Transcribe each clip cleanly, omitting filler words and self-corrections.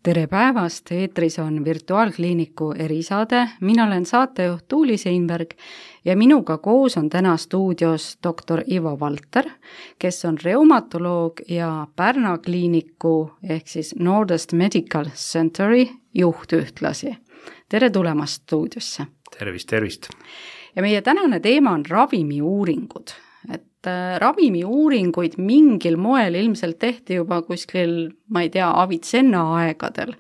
Tere päevast, eetris on virtuaalkliiniku erisaade, mina olen saatejuht Tuuli Seinberg ja minuga koos on täna stuudios doktor Ivo Valter, kes on reumatoloog ja Pärna kliiniku ehk siis Nordest Medical Centeri juht ühtlasi. Tere tulemast stuudiosse. Tervist. Ja meie tänane teema on ravimiuuringud. Ravimiuuringuid mingil moel ilmselt tehti juba kuskil, ma ei tea, Avicenna aegadel.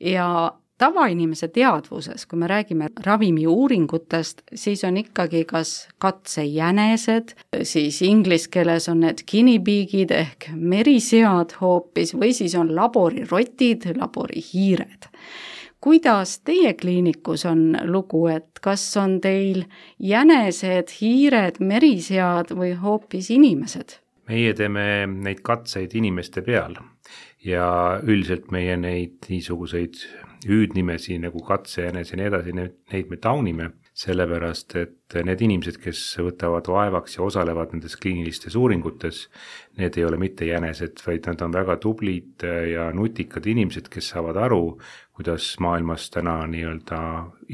Ja tavainimese teadvuses, kui me räägime ravimiuuringutest, siis on ikkagi kas katsejänesed, siis inglise keeles on need guinea-pigid ehk merisead hoopis või siis on laborirotid, laborihiired. Kuidas teie kliinikus on lugu, et kas on teil jänesed, hiired, merisead või hoopis inimesed? Meie teeme neid katseid inimeste peal ja üldiselt meie neid niisuguseid hüüdnimesi nagu katsejänes ja nii edasi, neid me taunime, sellepärast et need inimesed, kes võtavad vaevaks ja osalevad nendes kliinilistes uuringutes, need ei ole mitte jänesed, vaid nad on väga tublid ja nutikad inimesed, kes saavad aru, kuidas maailmas täna nii-öelda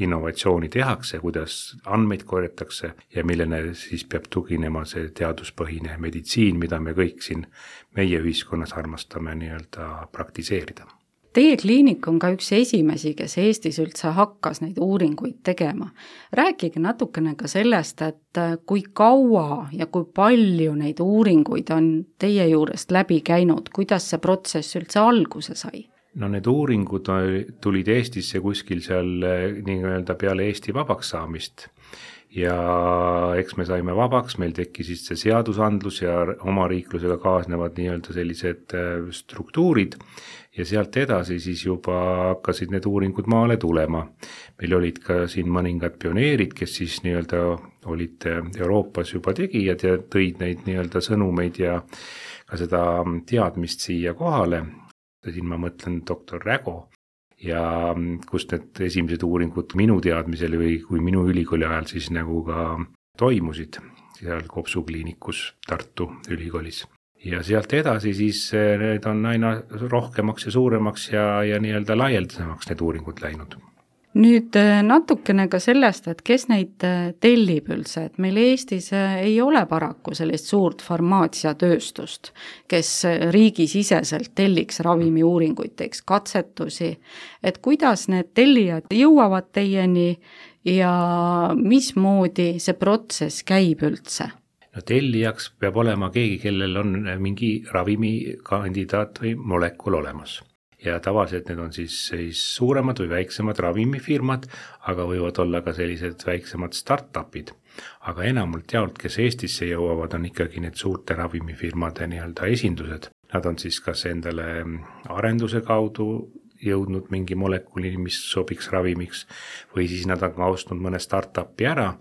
innovatsiooni tehakse, kuidas andmeid korjatakse ja millene siis peab tuginema see teaduspõhine meditsiin, mida me kõik siin meie ühiskonnas armastame nii-öelda praktiseerida. Teie kliinik on ka üks esimesi, kes Eestis üldse hakkas neid uuringuid tegema. Rääkige natukene ka sellest, et kui kaua ja kui palju neid uuringuid on teie juurest läbi käinud, kuidas see protsess üldse alguse sai? No need uuringud tulid Eestisse kuskil seal nii-öelda peale Eesti vabaks saamist ja eks me saime vabaks, meil tekkis siis see seadusandlus ja omariiklusega kaasnevad nii-öelda sellised struktuurid ja sealt edasi siis juba hakkasid need uuringud maale tulema. Meil olid ka siin mõningad pioneerid, kes siis nii-öelda olid Euroopas juba tegijad ja tõid neid nii-öelda sõnumeid ja ka seda teadmist siia kohale. Siin ma mõtlen doktor Rägo ja kus need esimesed uuringud minu teadmisel või kui minu ülikooli ajal siis nagu ka toimusid seal Kopsu kliinikus Tartu ülikoolis. Ja sealt edasi siis need on aina rohkemaks ja suuremaks ja nii-öelda laialdasemaks need uuringud läinud. Nüüd natukene ka sellest, et kes neid tellib üldse, et meil Eestis ei ole paraku sellist suurt farmaatsiatööstust, kes riigisiseselt telliks ravimiuuringuid, teeks katsetusi, et kuidas need tellijad jõuavad teieni ja mismoodi see protsess käib üldse? No tellijaks peab olema keegi, kellel on mingi ravimikandidaat või molekul olemas. Ja tavaliselt need on siis suuremad või väiksemad ravimifirmad, aga võivad olla ka sellised väiksemad startupid. Aga enamalt jaolt, kes Eestisse jõuavad, on ikkagi need suurte ravimifirmade nii-öelda esindused. Nad on siis kas endale arenduse kaudu jõudnud mingi molekulini, mis sobiks ravimiks, või siis nad on ostnud mõne startupi ära,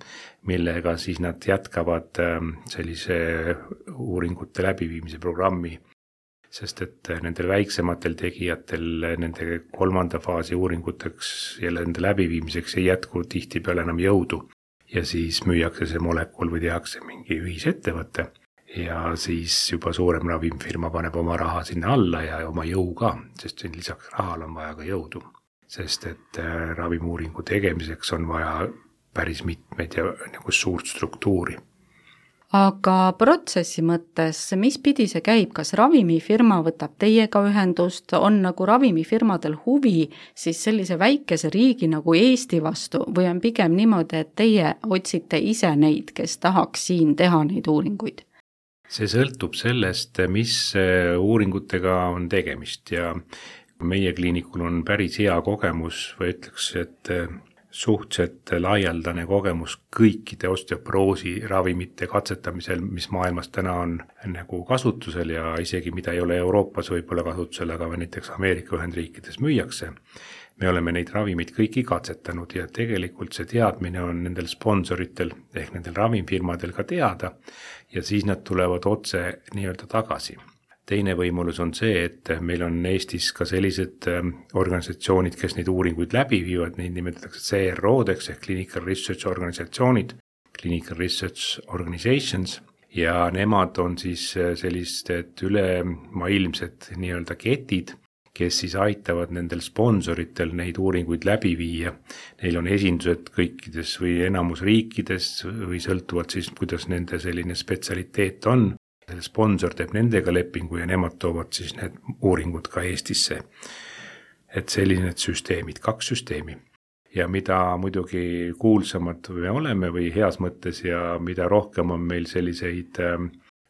millega siis nad jätkavad sellise uuringute läbiviimise programmi. Sest et nendel väiksematel tegijatel nende 3. faasi uuringuteks ja nende läbiviimiseks ei jätku tihtipeale enam jõudu. Ja siis müüakse see molekul või tehakse mingi ühisettevõte ja siis juba suurem ravimfirma paneb oma raha sinna alla ja oma jõu ka, sest lisaks rahal on vaja ka jõudu. Sest et ravimiuuringu tegemiseks on vaja päris mitmeid ja nagu suurt struktuuri. Aga protsessi mõttes, mis pidi see käib, kas ravimifirma võtab teiega ühendust, on nagu ravimifirmadel huvi siis sellise väikese riigi nagu Eesti vastu või on pigem niimoodi, et teie otsite ise neid, kes tahaks siin teha neid uuringuid? See sõltub sellest, mis uuringutega on tegemist ja meie kliinikul on päris hea kogemus või ütleks, et suhteliselt laialdane kogemus kõikide osteoporoosi ravimite katsetamisel, mis maailmas täna on nagu kasutusel ja isegi mida ei ole Euroopas võib-olla kasutusel, aga näiteks Ameerika Ühendriikides müüakse. Me oleme neid ravimid kõiki katsetanud ja tegelikult see teadmine on nendel sponsoritel ehk nendel ravimfirmadel ka teada ja siis nad tulevad otse nii-öelda tagasi. Teine võimalus on see, et meil on Eestis ka sellised organisatsioonid, kes neid uuringuid läbi viivad, neid nimetatakse CRO-deks ehk Clinical Research Organisatsioonid, Clinical Research Organizations, ja nemad on siis sellised ülemaailmsed nii-öelda ketid, kes siis aitavad nendel sponsoritel neid uuringuid läbi viia. Neil on esindused kõikides või enamus riikides või sõltuvalt siis, kuidas nende selline spetsialiteet on. Sponsor teeb nendega lepingu ja nemad toovad siis need uuringud ka Eestisse. Et sellised süsteemid, 2 süsteemi. Ja mida muidugi kuulsamad me oleme või heas mõttes ja mida rohkem on meil selliseid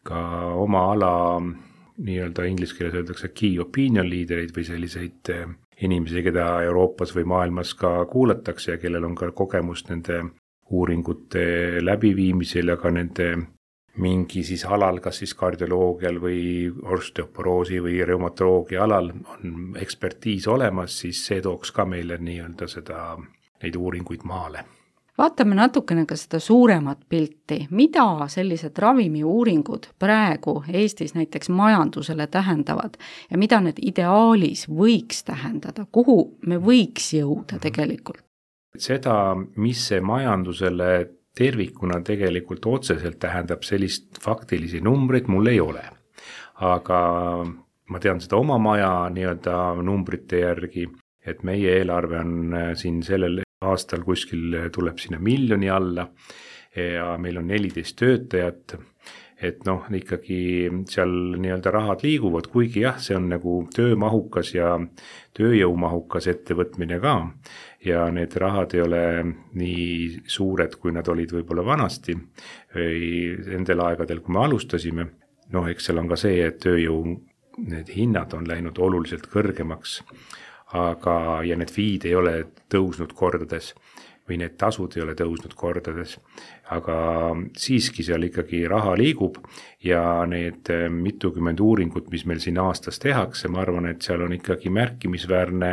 ka oma ala, nii-öelda inglise keeles öeldakse key opinion leaderid või selliseid inimesi, keda Euroopas või maailmas ka kuulatakse ja kellel on ka kogemust nende uuringute läbiviimisel ja ka nende mingi siis alal, kas siis kardioloogial või osteoporoosi või reumatoloogia alal on ekspertiis olemas, siis see tooks ka meile nii-öelda neid uuringuid maale. Vaatame natukene ka seda suuremat pilti. Mida sellised ravimiuuringud praegu Eestis näiteks majandusele tähendavad ja mida need ideaalis võiks tähendada? Kuhu me võiks jõuda tegelikult? Seda, mis see majandusele tervikuna tegelikult otseselt tähendab sellist faktilisi numbreid, mul ei ole. Aga ma tean seda oma maja nii-öelda numbrite järgi, et meie eelarve on siin sellel aastal kuskil tuleb sinna 1 miljoni alla ja meil on 14 töötajat, et ikkagi seal nii-öelda rahad liiguvad, kuigi jah, see on nagu töömahukas ja tööjõumahukas ettevõtmine ka ja need rahad ei ole nii suured, kui nad olid võib-olla vanasti või nendel aegadel, kui me alustasime. Eks seal on ka see, et tööjõu need hinnad on läinud oluliselt kõrgemaks, ja need fiid ei ole tõusnud kordades või need tasud ei ole tõusnud kordades, aga siiski seal ikkagi raha liigub ja need mitukümmend uuringut, mis meil siin aastas tehakse, ma arvan, et seal on ikkagi märkimisväärne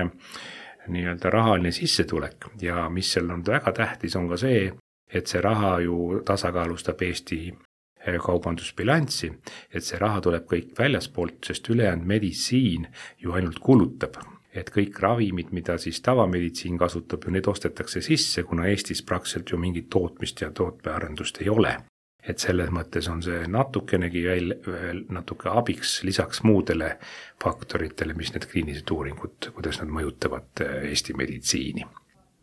nii-öelda rahaline sissetulek ja mis seal on väga tähtis, on ka see, et see raha ju tasakaalustab Eesti kaubandusbilanssi, et see raha tuleb kõik väljaspoolt, sest ülejäänud meditsiin ju ainult kulutab. Et kõik ravimid, mida siis tavameditsiin kasutab, ju need ostetakse sisse, kuna Eestis praktiliselt ju mingit tootmist ja tootmearendust ei ole. Et selles mõttes on see natukenegi natuke abiks lisaks muudele faktoritele, mis need kliinilised uuringud, kuidas nad mõjutavad Eesti meditsiini.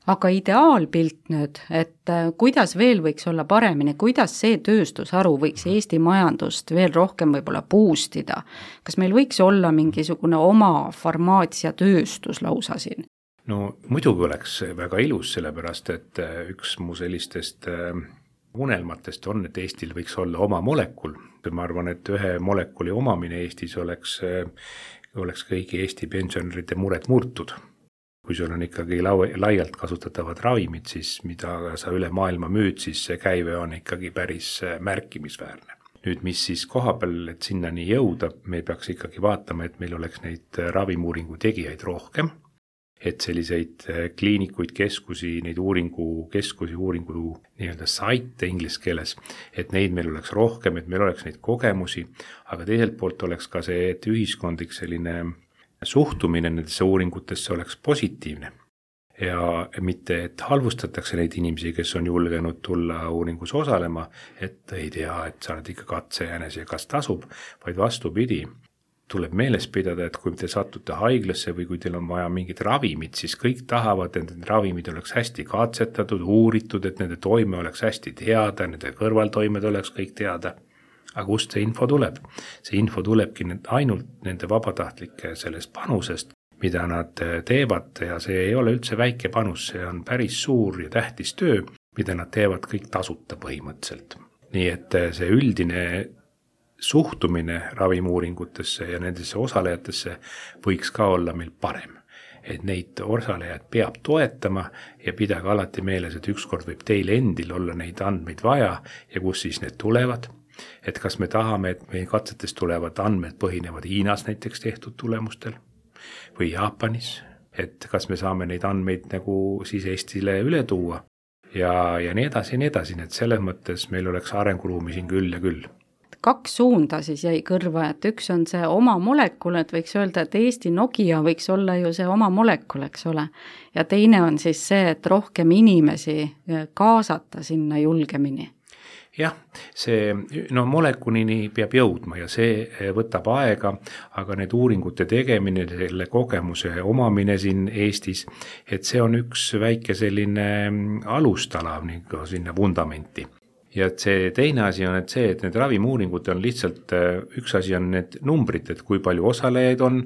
Aga ideaalpilt nüüd, et kuidas veel võiks olla paremini, kuidas see tööstusharu võiks Eesti majandust veel rohkem võib-olla boostida? Kas meil võiks olla mingisugune oma farmaatsiatööstus lausa siin? No muidugi oleks väga ilus, sellepärast et üks mu sellistest unelmatest on, et Eestil võiks olla oma molekul. Ma arvan, et ühe molekuli omamine Eestis oleks kõigi Eesti pensionäride mured murtud. Kui sul on ikkagi laialt kasutatavad ravimid, siis mida sa üle maailma müüd, siis see käive on ikkagi päris märkimisväärne. Nüüd, mis siis kohapeal, et sinnani jõuda, me peaks ikkagi vaatama, et meil oleks neid ravimuuringu tegijaid rohkem, et selliseid kliinikuid, keskusi, neid uuringu nii-öelda saite inglise keeles, et neid meil oleks rohkem, et meil oleks neid kogemusi, aga teiselt poolt oleks ka see, et ühiskondlik selline suhtumine nendesse uuringutesse oleks positiivne ja mitte, et halvustatakse neid inimesi, kes on julgenud tulla uuringus osalema, et ei tea, et sa oled ikka katsejäänes ja kas tasub, vaid vastupidi. Tuleb meeles pidada, et kui te satute haiglasse või kui teil on vaja mingid ravimid, siis kõik tahavad, et need ravimid oleks hästi katsetatud, uuritud, et nende toime oleks hästi teada, nende kõrvaltoimed oleks kõik teada. Aga kust see info tuleb? See info tulebki ainult nende vabatahtlike sellest panusest, mida nad teevad ja see ei ole üldse väike panus, see on päris suur ja tähtis töö, mida nad teevad kõik tasuta põhimõtteliselt. Nii et see üldine suhtumine ravimuuringutesse ja nendesse osalejatesse võiks ka olla meil parem. Et neid osalejad peab toetama ja pidage alati meeles, et ükskord võib teil endil olla neid andmeid vaja ja kus siis need tulevad. Et kas me tahame, et meie katsetest tulevad andmed põhinevad Hiinas näiteks tehtud tulemustel või Jaapanis, et kas me saame neid andmeid nagu siis Eestile üle tuua ja nii edasi, et selles mõttes meil oleks arenguruumi siin küll ja küll. 2 suunda siis jäi kõrva, et üks on see oma molekul, et võiks öelda, et Eesti Nokia võiks olla ju see oma molekul, eks ole. Ja teine on siis see, et rohkem inimesi kaasata sinna julgemini. jah, see molekulini peab jõudma ja see võtab aega, aga need uuringute tegemine, selle kogemuse omamine siin Eestis, et see on üks väike selline alustala nagu sinna vundamenti. Ja et see teine asi on, et see, et need ravimiuuringud on lihtsalt, üks asi on need numbrid, et kui palju osalejaid on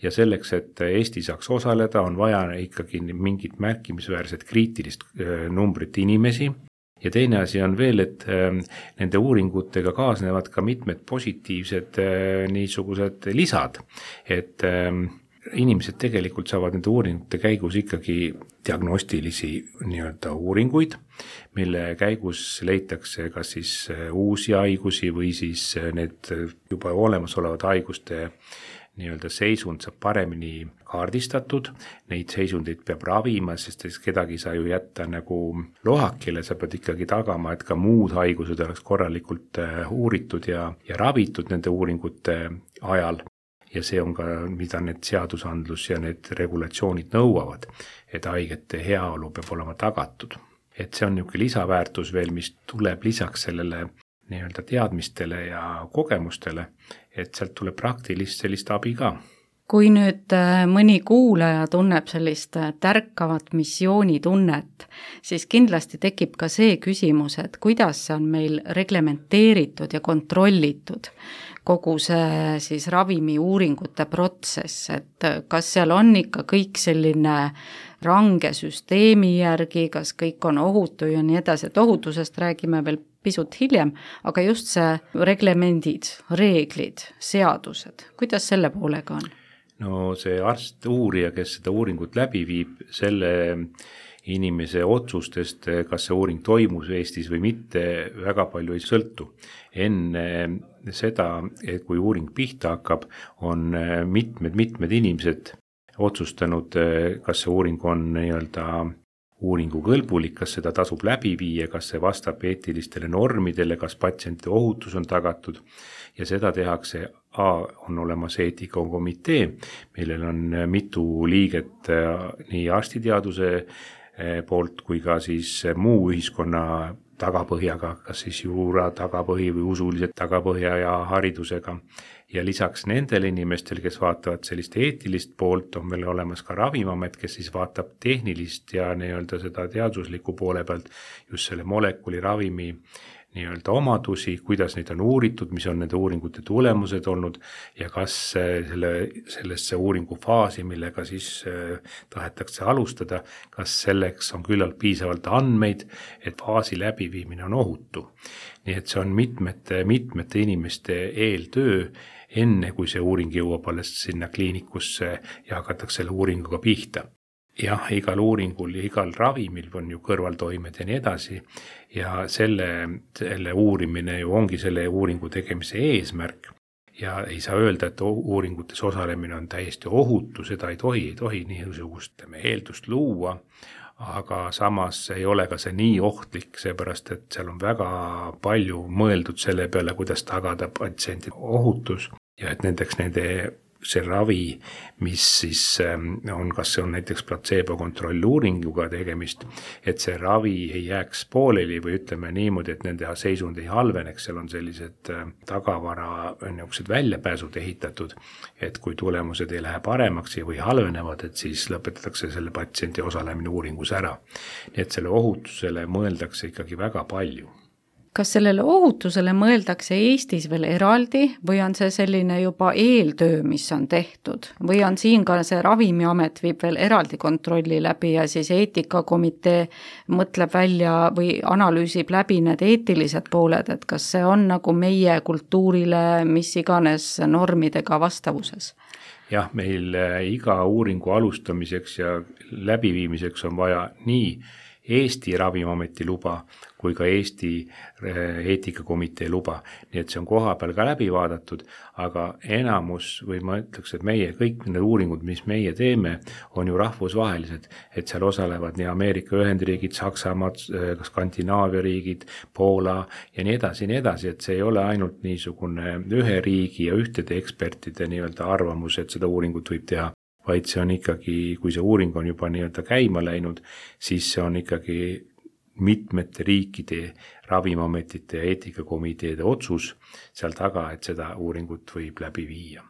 ja selleks, et Eesti saaks osaleda, on vaja ikkagi mingit märkimisväärset kriitilist numbrit inimesi. Ja teine asi on veel, et nende uuringutega kaasnevad ka mitmed positiivsed niisugused lisad, et inimesed tegelikult saavad nende uuringute käigus ikkagi diagnostilisi nii-öelda uuringuid, mille käigus leitakse kas siis uusi haigusi või siis need juba olemasolevad haiguste nii-öelda seisund saab paremini kaardistatud, neid seisundeid peab ravima, sest kedagi ei saa ju jätta nagu lohakile, sa pead ikkagi tagama, et ka muud haigused oleks korralikult uuritud ja ravitud nende uuringute ajal. Ja see on ka, mida need seadusandlus ja need regulatsioonid nõuavad, et haigete heaolu peab olema tagatud. Et see on niisugune lisaväärtus veel, mis tuleb lisaks sellele nii-öelda teadmistele ja kogemustele, et sealt tuleb praktilist sellist abi ka. Kui nüüd mõni kuulaja tunneb sellist tärkavat missioonitunnet, siis kindlasti tekib ka see küsimus, et kuidas see on meil reglementeeritud ja kontrollitud kogu see siis ravimiuuringute protsess, et kas seal on ikka kõik selline range süsteemi järgi, kas kõik on ohutu ja nii edasi, et ohutusest räägime veel pisut hiljem, aga just see reglemendid, reeglid, seadused, kuidas selle poolega on? No see arst, uurija, kes seda uuringut läbi viib, selle inimese otsustest, kas see uuring toimus Eestis või mitte, väga palju ei sõltu. Enne seda, et kui uuring pihta hakkab, on mitmed inimesed otsustanud, kas see uuring on nii-öelda uuringu kõlbulik, kas seda tasub läbi viia, kas see vastab eetilistele normidele, kas patsientide ohutus on tagatud ja seda tehakse. On olemas eetikakomitee, millel on mitu liiget nii arstiteaduse poolt kui ka siis muu ühiskonna tagapõhjaga, kas siis juura tagapõhi või usulised tagapõhja ja haridusega. Ja lisaks nendele inimestel, kes vaatavad sellist eetilist poolt, on meil olemas ka Ravimiamet, kes siis vaatab tehnilist ja nii-öelda seda teadusliku poole pealt just selle molekuli ravimi nii-öelda omadusi, kuidas neid on uuritud, mis on nende uuringute tulemused olnud ja kas sellesse uuringu faasi, millega siis tahetakse alustada, kas selleks on küllalt piisavalt andmeid, et faasi läbiviimine on ohutu. Nii et see on mitmete inimeste eeltöö, enne kui see uuring jõuab alles sinna kliinikusse ja hakatakse selle uuringuga pihta. Jah, igal uuringul ja igal ravimil on ju kõrvaltoimed ja nii edasi ja selle uurimine ju ongi selle uuringu tegemise eesmärk ja ei saa öelda, et uuringutes osalemine on täiesti ohutu, seda ei tohi niisugust eeldust luua, aga samas ei ole ka see nii ohtlik, seepärast et seal on väga palju mõeldud selle peale, kuidas tagada patsientide ohutus ja et see ravi, mis siis on, kas see on näiteks platseebokontrolluuringuga tegemist, et see ravi ei jääks pooleli või ütleme niimoodi, et nende seisund ei halveneks, seal on sellised tagavara niisugused väljapääsud ehitatud, et kui tulemused ei lähe paremaks või halvenevad, et siis lõpetatakse selle patsiendi osalemine uuringus ära. Nii et selle ohutusele mõeldakse ikkagi väga palju. Kas sellele ohutusele mõeldakse Eestis veel eraldi või on see selline juba eeltöö, mis on tehtud? Või on siin ka see Ravimiamet viib veel eraldi kontrolli läbi ja siis eetikakomitee mõtleb välja või analüüsib läbi need eetilised pooled, et kas see on nagu meie kultuurile mis iganes normidega vastavuses? Jah, meil iga uuringu alustamiseks ja läbiviimiseks on vaja nii Eesti Ravimiameti luba kui ka Eesti eetikakomitee luba. Nii et see on koha peal ka läbi vaadatud, aga enamus või ma ütleks, et kõik need uuringud, mis meie teeme, on ju rahvusvahelised, et seal osalevad nii Ameerika Ühendriigid, Saksamaa, Skandinaavia riigid, Poola ja nii edasi, et see ei ole ainult niisugune ühe riigi ja ühtede ekspertide nii-öelda arvamus, et seda uuringut võib teha, vaid see on ikkagi, kui see uuring on juba nii-öelda käima läinud, siis see on ikkagi mitmete riikide ravimiametite ja eetikakomiteede otsus seal taga, et seda uuringut võib läbi viia.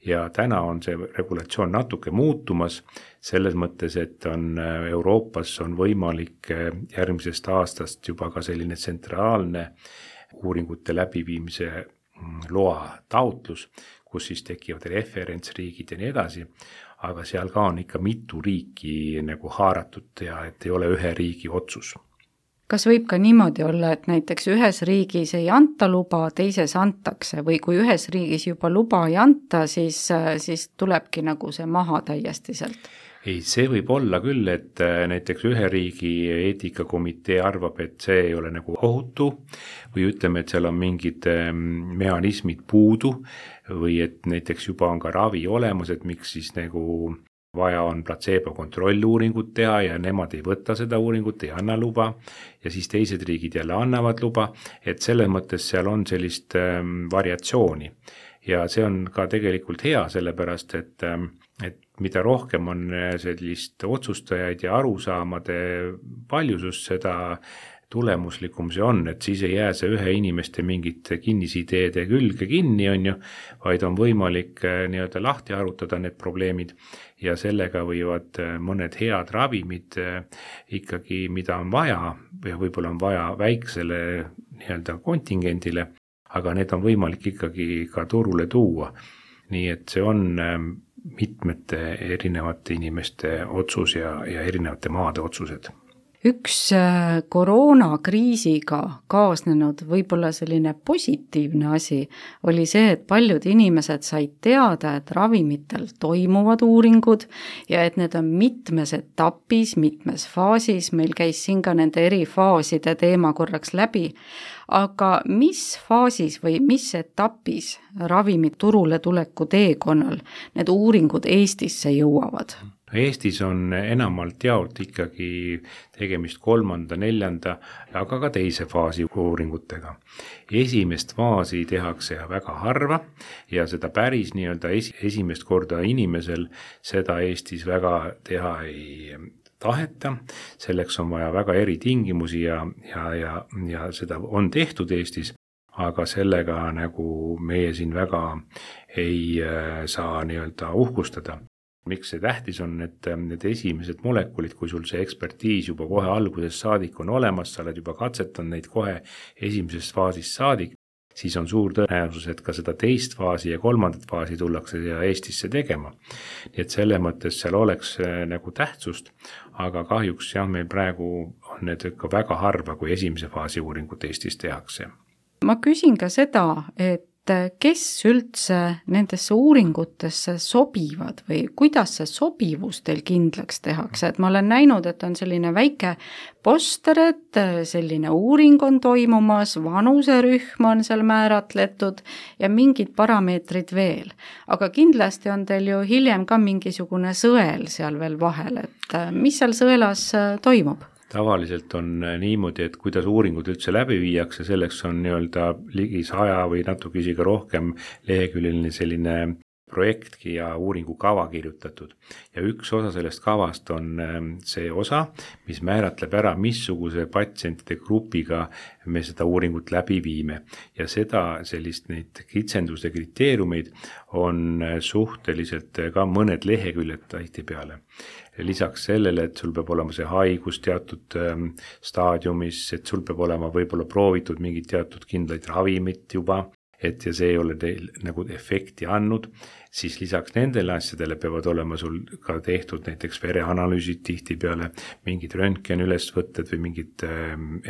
Ja täna on see regulatsioon natuke muutumas selles mõttes, et Euroopas on võimalik järgmisest aastast juba ka selline tsentraalne uuringute läbiviimise loa taotlus, kus siis tekivad referentsriigid ja nii edasi, aga seal ka on ikka mitu riiki nagu haaratud ja et ei ole ühe riigi otsus. Kas võib ka niimoodi olla, et näiteks ühes riigis ei anta luba, teises antakse või kui ühes riigis juba luba ei anta, siis tulebki nagu see maha täiesti sealt? Ei, see võib olla küll, et näiteks ühe riigi eetikakomitee arvab, et see ei ole nagu ohutu või ütleme, et seal on mingid mehhanismid puudu või et näiteks juba on ka ravi olemas, et miks siis nagu vaja on platseebo kontrolluuringut teha ja nemad ei võta seda uuringut, ei anna luba ja siis teised riigid jälle annavad luba, et selles mõttes seal on sellist variatsiooni ja see on ka tegelikult hea, sellepärast et mida rohkem on sellist otsustajaid ja arusaamade paljusust, seda tulemuslikum see on, et siis ei jää see ühe inimeste mingit kinnisideede külge kinni, on ju, vaid on võimalik nii-öelda lahti arutada need probleemid ja sellega võivad mõned head ravimid ikkagi, mida on vaja ja võib-olla on vaja väiksele nii-öelda kontingendile, aga need on võimalik ikkagi ka turule tuua. Nii et see on mitmete erinevate inimeste otsus ja erinevate maade otsused. Üks koroonakriisiga kaasnenud võib-olla selline positiivne asi oli see, et paljud inimesed said teada, et ravimitel toimuvad uuringud ja et need on mitmes etapis, mitmes faasis, meil käis siin ka nende eri faaside teema korraks läbi, aga mis faasis või mis etapis ravimid turule tuleku teekonnal need uuringud Eestisse jõuavad? Eestis on enamalt jaolt ikkagi tegemist 3., 4., aga ka teise faasi uuringutega. Esimest faasi tehakse väga harva ja seda päris nii-öelda esimest korda inimesel seda Eestis väga teha ei taheta. Selleks on vaja väga eritingimusi ja seda on tehtud Eestis, aga sellega nagu meie siin väga ei saa nii-öelda uhkustada. Miks see tähtis on, et need esimesed molekulid, kui sul see ekspertiis juba kohe algusest saadik on olemas, sa oled juba katsetanud neid kohe esimesest faasist saadik, siis on suur tõenäosus, et ka seda teist faasi ja 3. faasi tullakse Eestisse tegema. Nii et selle mõttes seal oleks nagu tähtsust, aga kahjuks meil praegu on need ikka väga harva, kui esimese faasi uuringut Eestis tehakse. Ma küsin ka seda, et kes üldse nendesse uuringutesse sobivad või kuidas see sobivus teil kindlaks tehakse, et ma olen näinud, et on selline väike poster, et selline uuring on toimumas, vanuserühm on seal määratletud ja mingid parameetrid veel, aga kindlasti on teil ju hiljem ka mingisugune sõel seal veel vahel, et mis seal sõelas toimub? Tavaliselt on niimoodi, et kuidas uuringud üldse läbi viiakse, selleks on nii-öelda ligi 100 või natuke isegi rohkem leheküljeline selline projektki ja uuringukava kirjutatud. Ja üks osa sellest kavast on see osa, mis määratleb ära, missuguse patsientide grupiga me seda uuringut läbi viime. Ja seda sellist neid kitsenduse kriteeriumeid on suhteliselt ka mõned leheküljed tihtipeale. Lisaks sellele, et sul peab olema see haigus teatud staadiumis, et sul peab olema võib-olla proovitud mingid teatud kindlaid ravimit juba, et ja see ei ole teil nagu efekti andnud, siis lisaks nendele asjadele peavad olema sul ka tehtud näiteks vereanalüüsid tihtipeale, mingid röntgenülesvõtted või mingid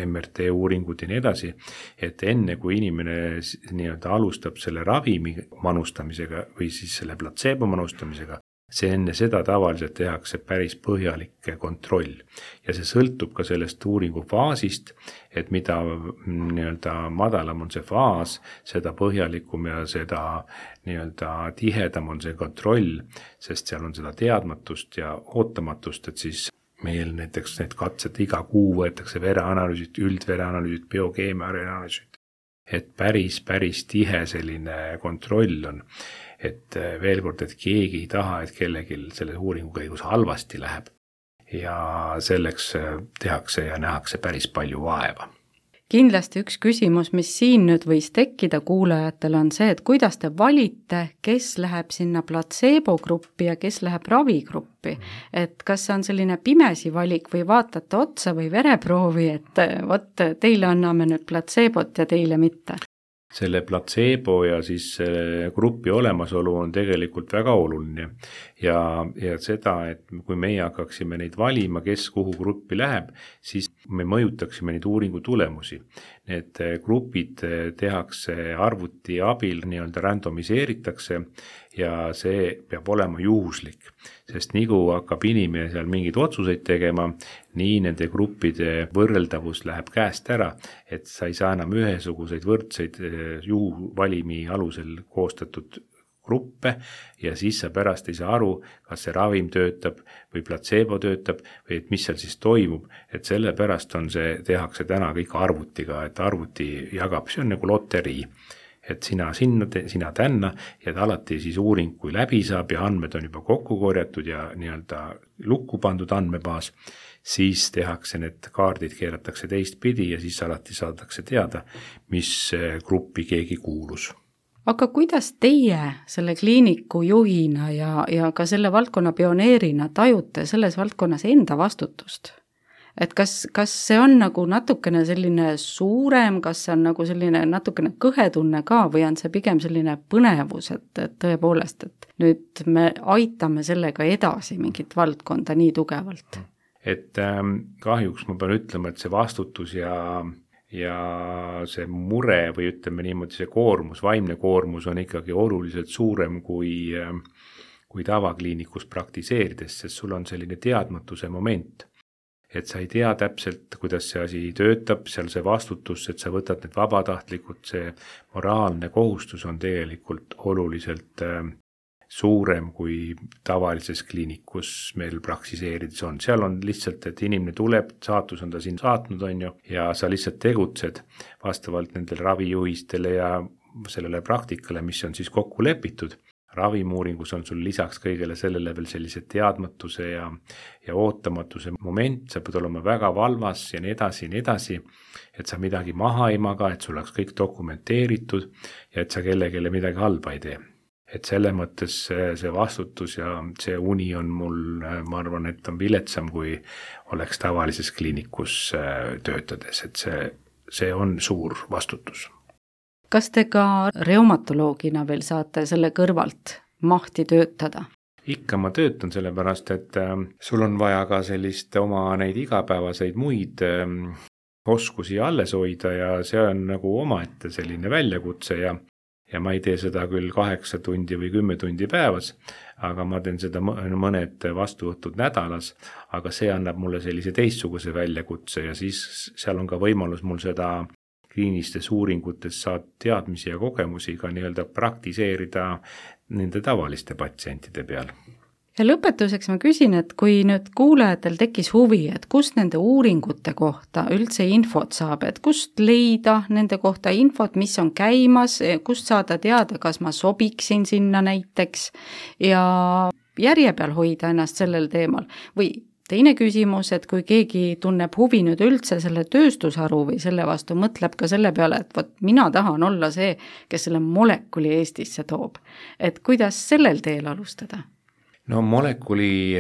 MRT uuringud ja nii edasi, et enne kui inimene nii-öelda alustab selle ravimi manustamisega või siis selle platseebo manustamisega, see enne seda tavaliselt tehakse päris põhjalik kontroll ja see sõltub ka sellest uuringu faasist, et mida nii-öelda madalam on see faas, seda põhjalikum ja seda nii-öelda tihedam on see kontroll, sest seal on seda teadmatust ja ootamatust, et siis meil näiteks need katsed iga kuu võetakse vereanalüüsid, üldvereanalüüsid, biokeemiaanalüüsid, et päris tihe selline kontroll on. Et veel kord, et keegi ei taha, et kellelgi selle uuringu käigus halvasti läheb. ja selleks tehakse ja nähakse päris palju vaeva. Kindlasti üks küsimus, mis siin nüüd võis tekkida kuulajatel, on see, et kuidas te valite, kes läheb sinna platseebogruppi ja kes läheb ravigruppi. Et kas see on selline pimesi valik või vaatate otsa või vereproovi, et vot teile anname nüüd platseebot ja teile mitte? Selle platseebo ja siis grupi olemasolu on tegelikult väga oluline ja seda, et kui meie hakkaksime neid valima, kes kuhu gruppi läheb, siis me mõjutaksime neid uuringu tulemusi. Need grupid tehakse arvuti abil, nii-öelda randomiseeritakse ja see peab olema juhuslik, sest nii kui hakkab inimene seal mingeid otsuseid tegema, nii nende gruppide võrreldavus läheb käest ära, et sa ei saa enam ühesuguseid võrdseid juhuvalimi alusel koostatud gruppe ja siis sa pärast ei saa aru, kas see ravim töötab või platseebo töötab või et mis seal siis toimub, et selle pärast on see, tehakse täna kõik arvutiga, et arvuti jagab, see on nagu loterii, et sina sinna, sina tänna ja alati siis uuring, kui läbi saab ja andmed on juba kokku korjatud ja nii-öelda lukku pandud andmebaas, siis tehakse need kaardid, keeratakse teistpidi ja siis alati saadakse teada, mis gruppi keegi kuulus. Aga kuidas teie selle kliiniku juhina ja ka selle valdkonna pioneerina tajute selles valdkonnas enda vastutust? Et kas see on nagu natukene selline suurem, kas see on nagu selline natukene kõhetunne ka või on see pigem selline põnevus, et tõepoolest, et nüüd me aitame sellega edasi mingit valdkonda nii tugevalt? Et kahjuks ma pean ütlema, et see vastutus ja see mure või ütleme niimoodi, see koormus, vaimne koormus on ikkagi oluliselt suurem kui tavakliinikus praktiseerides, sest sul on selline teadmatuse moment. Et sa ei tea täpselt, kuidas see asi töötab, seal see vastutus, et sa võtad need vabatahtlikud, see moraalne kohustus on tegelikult oluliselt suurem kui tavalises kliinikus meil praksiseerides on. Seal on lihtsalt, et inimene tuleb, saatus on ta siin saatnud, on ju, ja sa lihtsalt tegutsed vastavalt nendele ravijuhistele ja sellele praktikale, mis on siis kokku lepitud. Ravimuuringus on sul lisaks kõigele sellele veel sellise teadmatuse ja ootamatuse moment, sa pead olema väga valvas ja nii edasi, et sa midagi maha ei maga, et sul oleks kõik dokumenteeritud ja et sa kellelegi midagi halba ei tee. Et selle mõttes see vastutus ja see uni on mul, ma arvan, et on viletsam, kui oleks tavalises kliinikus töötades, et see on suur vastutus. Kas te ka reumatoloogina veel saate selle kõrvalt mahti töötada? Ikka ma töötan sellepärast, et sul on vaja ka sellist oma neid igapäevaseid muid oskusi alles hoida ja see on nagu omaette selline väljakutse ja ma ei tee seda küll 8 tundi või 10 tundi päevas, aga ma teen seda mõned vastuvõtud nädalas, aga see annab mulle sellise teistsuguse väljakutse ja siis seal on ka võimalus mul seda kliinistes uuringutes saad teadmisi ja kogemusi ka nii-öelda praktiseerida nende tavaliste patsientide peal. Ja lõpetuseks ma küsin, et kui nüüd kuulajatel tekkis huvi, et kust nende uuringute kohta üldse infot saab, et kust leida nende kohta infot, mis on käimas, kust saada teada, kas ma sobiksin sinna näiteks ja järje peal hoida ennast sellel teemal või teine küsimus, et kui keegi tunneb huvi nüüd üldse selle tööstusharu või selle vastu, mõtleb ka selle peale, et vot mina tahan olla see, kes selle molekuli Eestisse toob. Et kuidas sellel teel alustada? No molekuli,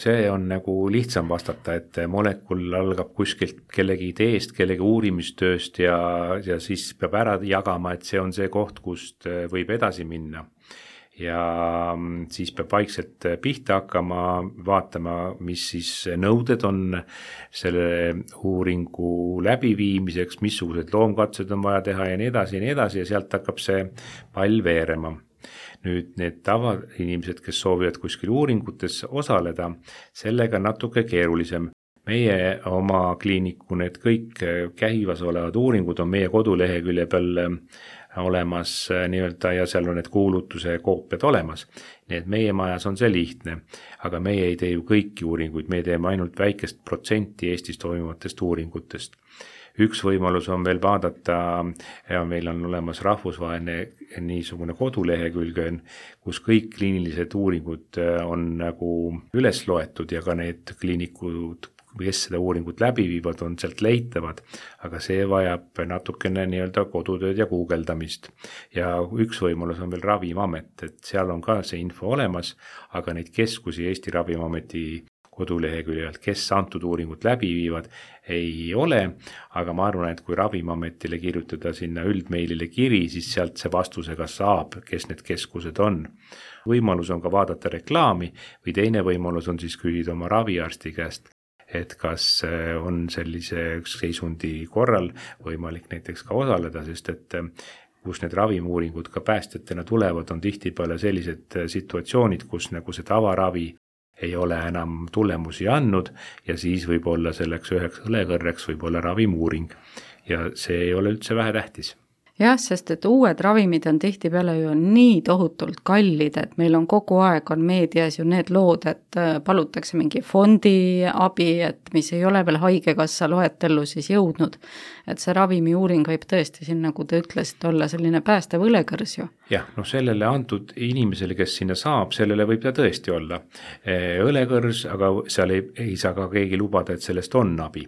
see on nagu lihtsam vastata, et molekul algab kuskilt kellegi ideest, kellegi uurimistööst ja siis peab ära jagama, et see on see koht, kust võib edasi minna. Ja siis peab vaikselt pihta hakkama, vaatama, mis siis nõuded on selle uuringu läbiviimiseks, missugused loomkatsed on vaja teha ja nii edasi ja sealt hakkab see pall veerema. Nüüd need tavainimesed, kes soovivad kuskil uuringutes osaleda, sellega natuke keerulisem. Meie oma kliiniku, need kõik käivas olevad uuringud on meie kodulehekülje peal olemas nii-öelda ja seal on need kuulutuse koopiad olemas. Nii et meie majas on see lihtne, aga meie ei tee ju kõiki uuringuid, me teeme ainult väikest protsenti Eestis toimuvatest uuringutest. Üks võimalus on veel vaadata, ja meil on olemas rahvusvaheline niisugune kodulehekülg, kus kõik kliinilised uuringud on nagu üles loetud ja ka need kliinikud, kes seda uuringut läbi viivad, on sealt leitavad, aga see vajab natukene nii-öelda kodutööd ja guugeldamist. Ja üks võimalus on veel Ravimiamet, et seal on ka see info olemas, aga neid keskusi Eesti Ravimiameti koduleheküljelt, kes antud uuringut läbi viivad, ei ole, aga ma arvan, et kui Ravimiametile kirjutada sinna üldmeilile kiri, siis sealt see vastusega saab, kes need keskused on. Võimalus on ka vaadata reklaami või teine võimalus on siis küsida oma raviarsti käest, et kas on sellise seisundi korral võimalik näiteks ka osaleda, sest et kus need ravimiuuringud ka päästjatena tulevad, on tihtipeale sellised situatsioonid, kus nagu see tavaravi ei ole enam tulemusi andnud ja siis võib olla selleks üheks õlekõrreks võib olla ravimiuuring ja see ei ole üldse vähetähtis. Jah, sest et uued ravimid on tihtipeale ju nii tohutult kallid, et meil on kogu aeg on meedias ju need lood, et palutakse mingi fondi abi, et mis ei ole veel haigekassa loetellu siis jõudnud. Et see ravimiuuring võib tõesti siin, nagu te ütlesite, olla selline päästev õlekõrs ju. Jah, sellele antud inimesele, kes sinna saab, sellele võib ta tõesti olla õlekõrs, aga seal ei saa ka keegi lubada, et sellest on abi.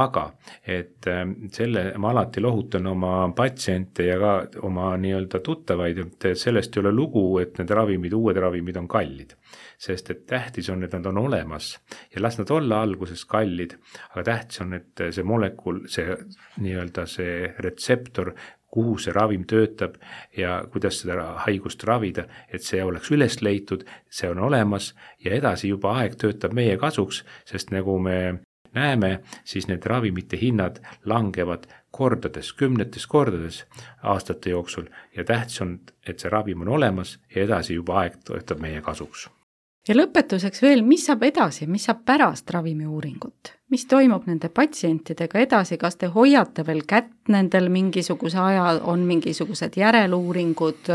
Aga et selle ma alati lohutan oma patsiente ja ka oma nii-öelda tuttavaid, et sellest ei ole lugu, et need ravimid, uued ravimid on kallid. Sest et tähtis on, et nad on olemas ja las nad olla alguses kallid, aga tähtis on, et see molekul, see nii-öelda see retseptor, kuhu see ravim töötab ja kuidas seda haigust ravida, et see oleks üles leitud, see on olemas ja edasi juba aeg töötab meie kasuks, sest nagu me näeme, siis need ravimite hinnad langevad kordades, kümnetes kordades aastate jooksul ja tähtis on, et see ravim on olemas ja edasi juba aeg töötab meie kasuks. Ja lõpetuseks veel, mis saab edasi, mis saab pärast ravimiuuringut? Mis toimub nende patsientidega edasi, kas te hoiate veel kätt nendel mingisuguse aja, on mingisugused järeluuringud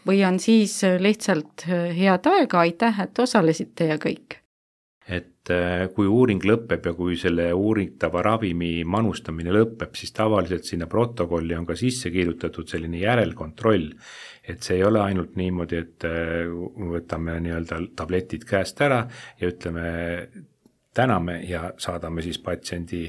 või on siis lihtsalt head aega, aitäh, et osalesite ja kõik? Et kui uuring lõpeb ja kui selle uuritava ravimi manustamine lõpeb, siis tavaliselt sinna protokolli on ka sisse kirjutatud selline järelkontroll, et see ei ole ainult niimoodi, et võtame nii-öelda tabletid käest ära ja ütleme täname ja saadame siis patsiendi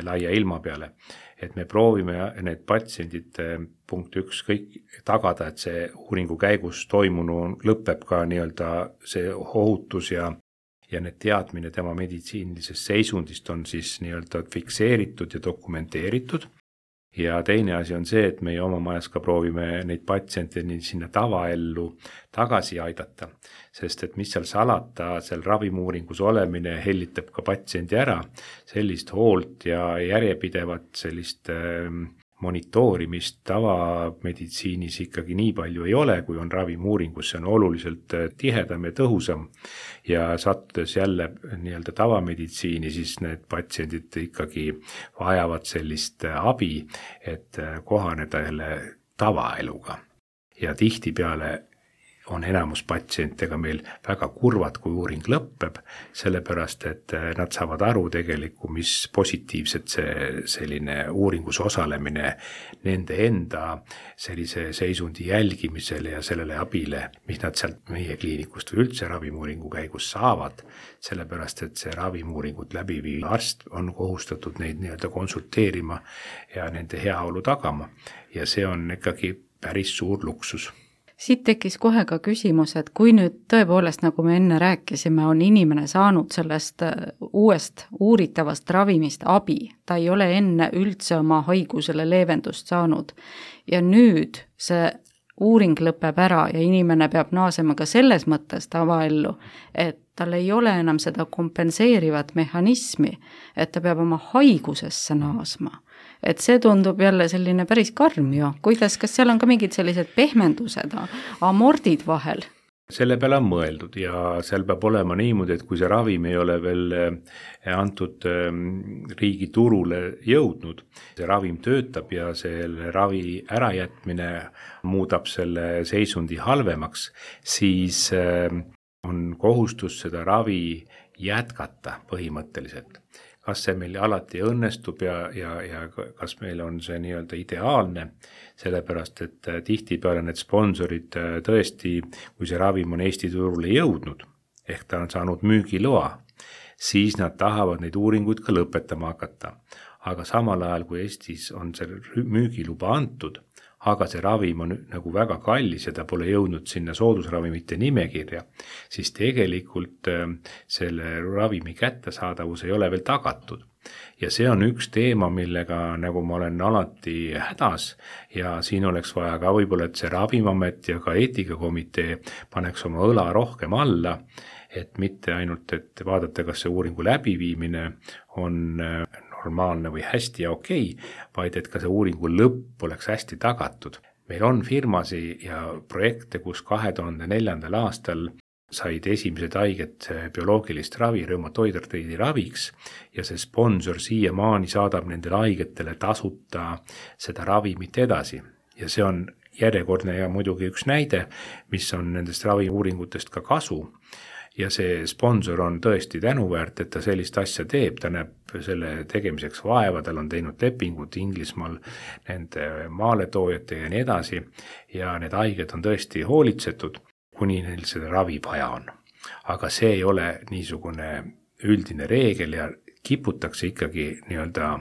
laia ilma peale. Et me proovime need patsiendid punkt 1 kõik tagada, et see uuringu käigus toimunu lõpeb ka nii-öelda see ohutus ja need teadmine tema meditsiinilisest seisundist on siis nii-öelda fikseeritud ja dokumenteeritud. Ja teine asi on see, et meie oma majas ka proovime neid patsiente sinna tavaellu tagasi aidata, sest et mis seal salata, seal ravimiuuringus olemine hellitab ka patsiendi ära, sellist hoolt ja järjepidevat sellist monitoorimist tavameditsiinis ikkagi nii palju ei ole, kui on ravimiuuringus, see on oluliselt tihedam ja tõhusam ja sattudes jälle nii-öelda tavameditsiini, siis need patsiendid ikkagi vajavad sellist abi, et kohaneda jälle tavaeluga ja tihtipeale on enamus patsientega meil väga kurvad, kui uuring lõpeb, sellepärast, et nad saavad aru tegelikult, mis positiivset see selline uuringus osalemine nende enda sellise seisundi jälgimisele ja sellele abile, mis nad sealt meie kliinikust või üldse ravimiuuringu käigus saavad, sellepärast, et see ravimiuuringut läbiviiv arst on kohustatud neid nii-öelda konsulteerima ja nende heaolu tagama ja see on ikkagi päris suur luksus. Siit tekkis kohe ka küsimus, et kui nüüd tõepoolest, nagu me enne rääkisime, on inimene saanud sellest uuest uuritavast ravimist abi, ta ei ole enne üldse oma haigusele leevendust saanud ja nüüd see uuring lõpeb ära ja inimene peab naasema ka selles mõttes tavaellu, et tal ei ole enam seda kompenseerivat mehhanismi, et ta peab oma haigusesse naasma. Et see tundub jälle selline päris karm ju. Kuidas, kas seal on ka mingid sellised pehmendused, amordid vahel? Selle peale on mõeldud ja seal peab olema niimoodi, et kui see ravim ei ole veel antud riigi turule jõudnud, see ravim töötab ja selle ravi ärajätmine muudab selle seisundi halvemaks, siis on kohustus seda ravi jätkata põhimõtteliselt. kas see meil alati õnnestub ja kas meil on see nii-öelda ideaalne, sellepärast et tihtipeale need sponsorid tõesti, kui see ravim on Eesti turule jõudnud, ehk ta on saanud müügiloa, siis nad tahavad neid uuringuid ka lõpetama hakata. Aga samal ajal, kui Eestis on see müügiluba antud, aga see ravim on nagu väga kallis ja ta pole jõudnud sinna soodusravimite nimekirja, siis tegelikult selle ravimi kättesaadavus ei ole veel tagatud. Ja see on üks teema, millega nagu ma olen alati hädas ja siin oleks vaja ka võib-olla, et see Ravimiamet ja ka eetikakomitee paneks oma õla rohkem alla, et mitte ainult, et vaadata, kas see uuringu läbiviimine on normaalne või hästi ja okei, vaid et ka see uuringu lõpp oleks hästi tagatud. Meil on firmasi ja projekte, kus 2004. aastal said esimesed haiged bioloogilist ravi reumatoidartriidi raviks ja see sponsor siiamaani saadab nendele haigetele tasuta seda ravimit edasi. Ja see on järjekordne ja muidugi üks näide, mis on nendest raviuuringutest ka kasu. Ja see sponsor on tõesti tänuväärt, et ta sellist asja teeb, ta näeb selle tegemiseks vaeva, tal on teinud lepingud Inglismaal nende maaletoojatega ja nii edasi ja need haiged on tõesti hoolitsetud, kuni neil seda ravi vaja on. Aga see ei ole niisugune üldine reegel ja kiputakse ikkagi nii-öelda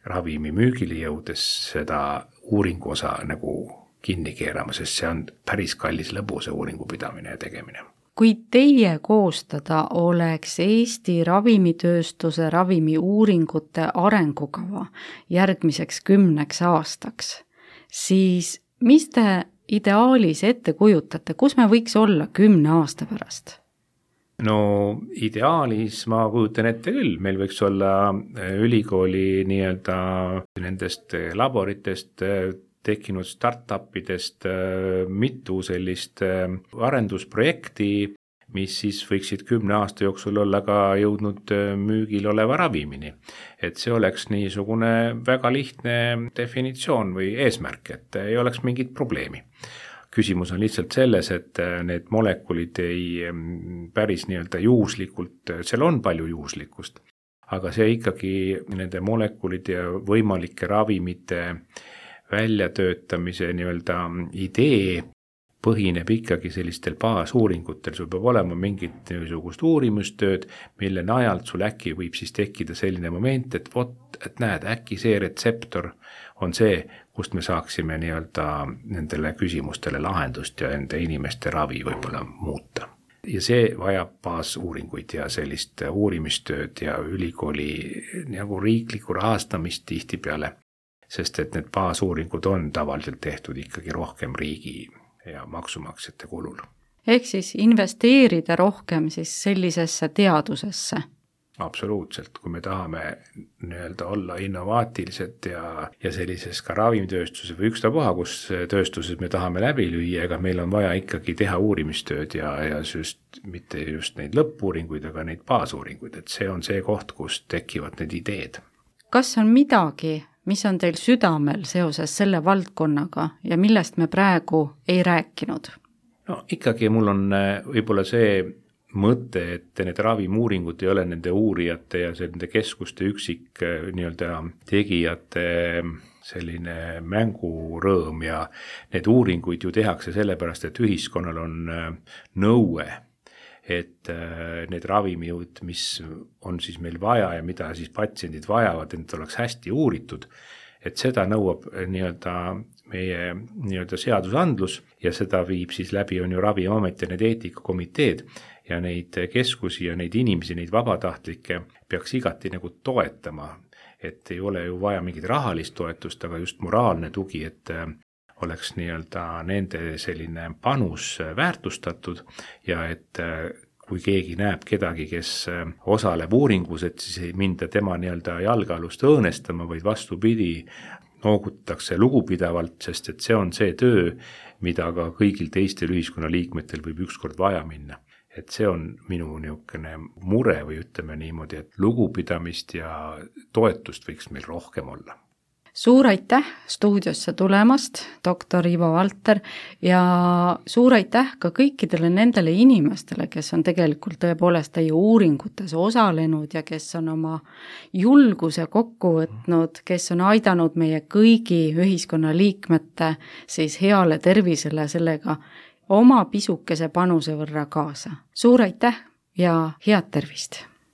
ravimi müügile jõudes seda uuringu osa nagu kinni keerama, sest see on päris kallis lõbu see uuringu pidamine ja tegemine. Kui teie koostada oleks Eesti ravimitööstuse ravimiuuringute arengukava järgmiseks 10 aastaks, siis mis te ideaalis ette kujutate, kus me võiks olla 10 aasta pärast? No ideaalis ma kujutan ette küll, meil võiks olla ülikooli nii-öelda nendest laboritest tekkinud startupidest mitu sellist arendusprojekti, mis siis võiksid 10 aasta jooksul olla ka jõudnud müügil oleva ravimini. Et see oleks niisugune väga lihtne definitsioon või eesmärk, et ei oleks mingit probleemi. Küsimus on lihtsalt selles, et need molekulid ei päris nii-öelda juhuslikult, seal on palju juhuslikkust, aga see ikkagi nende molekulide ja võimalike ravimite väljatöötamise nii-öelda idee põhineb ikkagi sellistel baasuuringutel, sul peab olema mingit niisugust uurimustööd, mille najalt sul äkki võib siis tekkida selline moment, et et näed, äkki see retseptor on see, kust me saaksime nii-öelda nendele küsimustele lahendust ja nende inimeste ravi võib-olla muuta. Ja see vajab baasuuringuid ja sellist uurimistööd ja ülikooli nagu riiklikku rahastamist tihtipeale, sest et need baasuuringud on tavaliselt tehtud ikkagi rohkem riigi ja maksumaksjate kulul. Ehk siis investeerida rohkem siis sellisesse teadusesse? Absoluutselt, kui me tahame nii-öelda olla innovaatilised ja sellises ka ravimitööstuses või ükstapuha, kus tööstuses me tahame läbi lüüa, ega meil on vaja ikkagi teha uurimistööd ja mitte just neid lõppuuringuid, aga neid baasuuringuid, et see on see koht, kus tekivad need ideed. Kas on midagi, mis on teil südamel seoses selle valdkonnaga ja millest me praegu ei rääkinud? No ikkagi mul on võib-olla see mõte, et need ravimuuringud ei ole nende uurijate ja nende keskuste üksik nii-öelda tegijate selline mängurõõm ja need uuringuid ju tehakse sellepärast, et ühiskonnal on nõue, et need ravimid, mis on siis meil vaja ja mida siis patsiendid vajavad, et oleks hästi uuritud, et seda nõuab nii-öelda meie nii-öelda seadusandlus ja seda viib siis läbi on ju Ravimiamet ja need eetikakomiteed ja neid keskusi ja neid inimesi, neid vabatahtlikke peaks igati nagu toetama, et ei ole ju vaja mingit rahalist toetust, aga just moraalne tugi, et oleks nii-öelda nende selline panus väärtustatud ja et kui keegi näeb kedagi, kes osaleb uuringus, et siis ei minda tema nii-öelda jalgealust õõnestama, vaid vastupidi, noogutatakse lugupidavalt, sest et see on see töö, mida ka kõigil teistel ühiskonnaliikmetel võib ükskord vaja minna. Et see on minu niisugune mure või ütleme niimoodi, et lugupidamist ja toetust võiks meil rohkem olla. suur aitäh stuudiosse tulemast, doktor Ivo Valter, ja suur aitäh ka kõikidele nendele inimestele, kes on tegelikult tõepoolest teie uuringutes osalenud ja kes on oma julguse kokku võtnud, kes on aidanud meie kõigi ühiskonnaliikmete siis heale tervisele sellega oma pisukese panuse võrra kaasa. Suur aitäh ja head tervist!